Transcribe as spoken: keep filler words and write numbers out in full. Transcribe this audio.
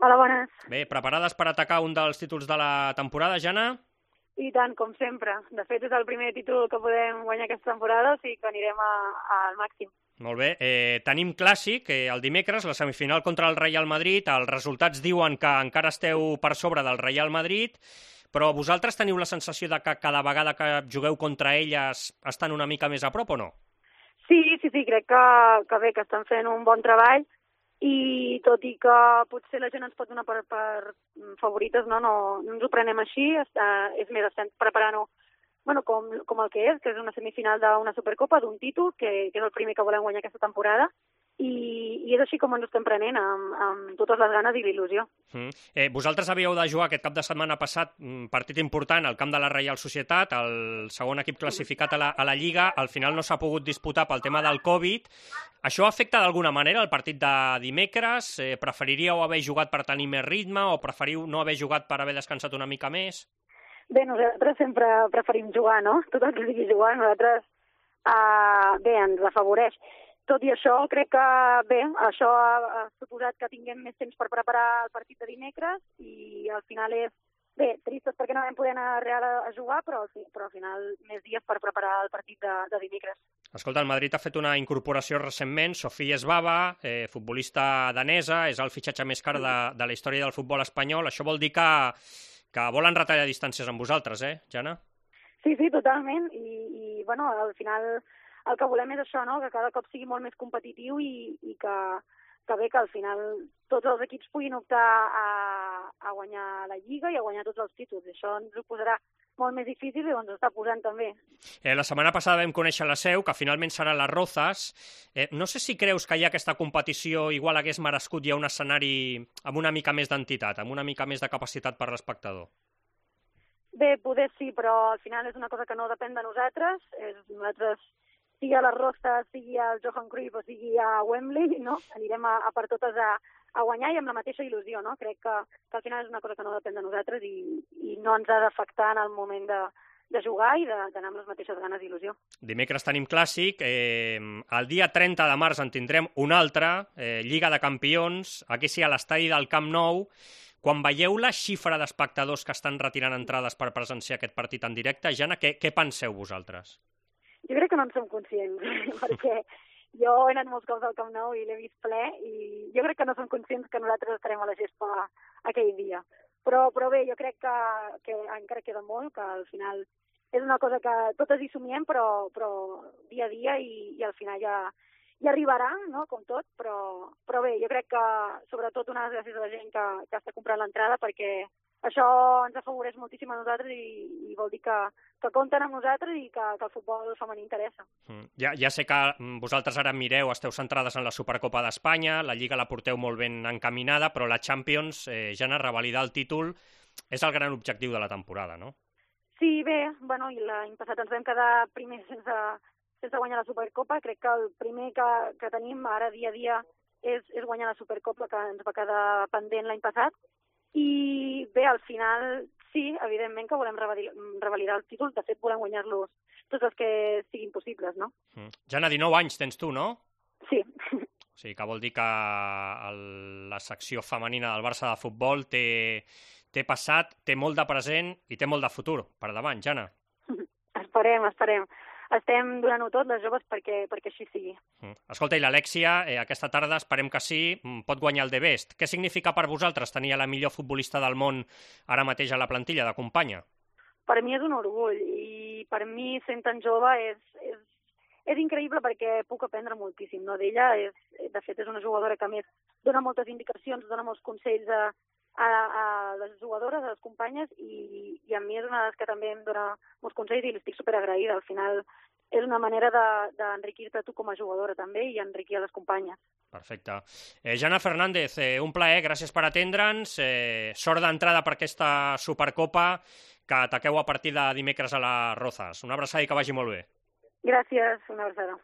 Hola, bones. Bé, preparades per atacar un dels títols de la temporada, Jana? I tant, com sempre. De fet, és el primer títol que podem guanyar aquesta temporada, o sigui que anirem a, a, al màxim. Molt bé. Eh, tenim clàssic, eh, el dimecres, la semifinal contra el Real Madrid. Els resultats diuen que encara esteu per sobre del Real Madrid, però vosaltres teniu la sensació de que cada vegada que jugueu contra elles estan una mica més a prop o no? Sí, sí, sí, crec que, que bé, que estan fent un bon treball, i tot i que potser la gent ens pot donar per, per favorites, no, no, no ens ho prenem així, està, és més, estem preparant-ho bueno, com, com el que és, que és una semifinal d'una Supercopa, d'un títol, que, que és el primer que volem guanyar aquesta temporada, i, i és així com ens ho estem prenent, amb, amb totes les ganes i l'il·lusió. Mm. Eh, vosaltres havíeu de jugar aquest cap de setmana passat un partit important al camp de la Reial Societat, el segon equip classificat a la, a la Lliga, al final no s'ha pogut disputar pel tema del Covid. Això afecta d'alguna manera el partit de dimecres? Eh, preferiríeu haver jugat per tenir més ritme o preferiu no haver jugat per haver descansat una mica més? Bé, nosaltres sempre preferim jugar, no? Tot el que sigui jugar, nosaltres, uh, bé, ens afavoreix. Tot i això, crec que, bé, això ha, ha suposat que tinguem més temps per preparar el partit de dimecres i al final és, bé, tristes perquè no vam poder anar a Real a, a jugar, però, però al final més dies per preparar el partit de, de dimecres. Escolta, el Madrid ha fet una incorporació recentment, Sofia Svava, eh, futbolista danesa, és el fitxatge més car de, de la història del futbol espanyol. Això vol dir que, que volen retallar distàncies amb vosaltres, eh, Jana? Sí, sí, totalment, i, i bueno, al final el que volem és això, no?, que cada cop sigui molt més competitiu i, i que, que bé, que al final tots els equips puguin optar a, a guanyar la Lliga i a guanyar tots els títols. Això ens ho posarà molt més difícil i ens ho està posant també. Eh, la setmana passada vam conèixer la seu, que finalment serà les Rozas. Eh, no sé si creus que ja aquesta competició igual hagués merescut ja un escenari amb una mica més d'entitat, amb una mica més de capacitat per l'espectador. Bé, poder sí, però al final és una cosa que no depèn de nosaltres. És, nosaltres, sigui a les Rozas, sigui al Johan Cruyff o sigui a Wembley, no? Anirem a, a per totes a, a guanyar i amb la mateixa il·lusió, no? Crec que, que al final és una cosa que no depèn de nosaltres i, i no ens ha d'afectar en el moment de, de jugar i d'anar amb les mateixes ganes i il·lusió. Dimecres tenim clàssic, eh, el dia trenta de març en tindrem un altre, eh, Lliga de Campions, aquí sí a l'estadi del Camp Nou. Quan veieu la xifra d'espectadors que estan retirant entrades per presenciar aquest partit en directe, Jana, què, què penseu vosaltres? Jo crec que no en som conscients, perquè jo he anat molts cops al Camp Nou i l'he vist ple i jo crec que no som conscients que nosaltres estarem a la gespa aquell dia. Però, però bé, jo crec que, que encara queda molt, que al final és una cosa que totes hi somiem, però, però dia a dia i, i al final ja, ja arribarà, no?, com tot, però, però bé, jo crec que sobretot unes gràcies a la gent que, que està comprant l'entrada perquè això ens afavoreix moltíssim a nosaltres i, i vol dir que, que compten amb nosaltres i que, que el futbol femení interessa. Mm. Ja, ja sé que vosaltres ara mireu, esteu centrades en la Supercopa d'Espanya, la Lliga la porteu molt ben encaminada, però la Champions, eh, Jana, revalidar el títol és el gran objectiu de la temporada, no? Sí, bé, bueno, i l'any passat ens vam quedar primers sense, sense guanyar la Supercopa. Crec que el primer que, que tenim ara dia a dia és, és guanyar la Supercopa, que ens va quedar pendent l'any passat. I bé, al final, sí, evidentment que volem revalidar el títol. De fet, volem guanyar-los tots els que siguin possibles, no? Mm. Jana, dinou anys tens tu, no? Sí. O sigui, que vol dir que el, la secció femenina del Barça de futbol té, té passat, té molt de present i té molt de futur per davant, Jana. Esperem, esperem. Estem donant-ho tot, les joves, perquè, perquè així sigui. Escolta, i l'Alexia, eh, aquesta tarda, esperem que sí, pot guanyar el The Best. Què significa per vosaltres tenir la millor futbolista del món ara mateix a la plantilla de companya? Per mi és un orgull, i per mi, sent tan jove, és, és, és increïble perquè puc aprendre moltíssim, no, d'ella. És, de fet, és una jugadora que, a més, dona moltes indicacions, dona molts consells a, a, a les jugadores, a les companyes, i, i a mi és una de les que també em dona molts consells i li estic superagraïda. Al final és una manera d'enriquir-te tu com a jugadora també i enriquir a les companyes. Perfecte. Eh, Jana Fernández, eh, un plaer, gràcies per atendre'ns. Eh, sort d'entrada per aquesta Supercopa que ataqueu a partir de dimecres a les Rozas. Una abraçada i que vagi molt bé. Gràcies, una abraçada.